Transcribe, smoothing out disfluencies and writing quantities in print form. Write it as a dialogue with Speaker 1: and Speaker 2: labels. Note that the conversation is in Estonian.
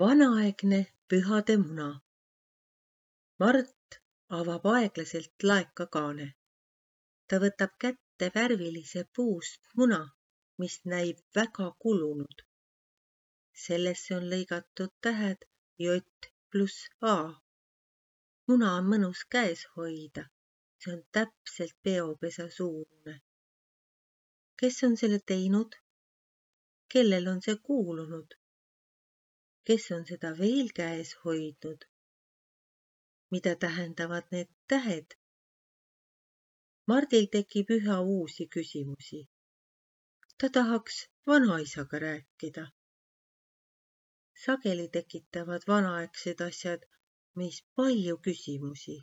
Speaker 1: Vanaaegne pühade muna. Mart avab aeglaselt laekakaane. Ta võtab kätte värvilise puust muna, mis näib väga kulunud. Sellesse on lõigatud tähed J plus A. Muna on mõnus käes hoida. See on täpselt peopesa suurune. Kes on selle teinud? Kellel on see kuulunud? Kes on seda veel käes hoidnud? Mida tähendavad need tähed? Mardil tekib üha uusi küsimusi. Ta tahaks vanaisaga rääkida. Sageli tekitavad vanaaegsed asjad meis palju küsimusi.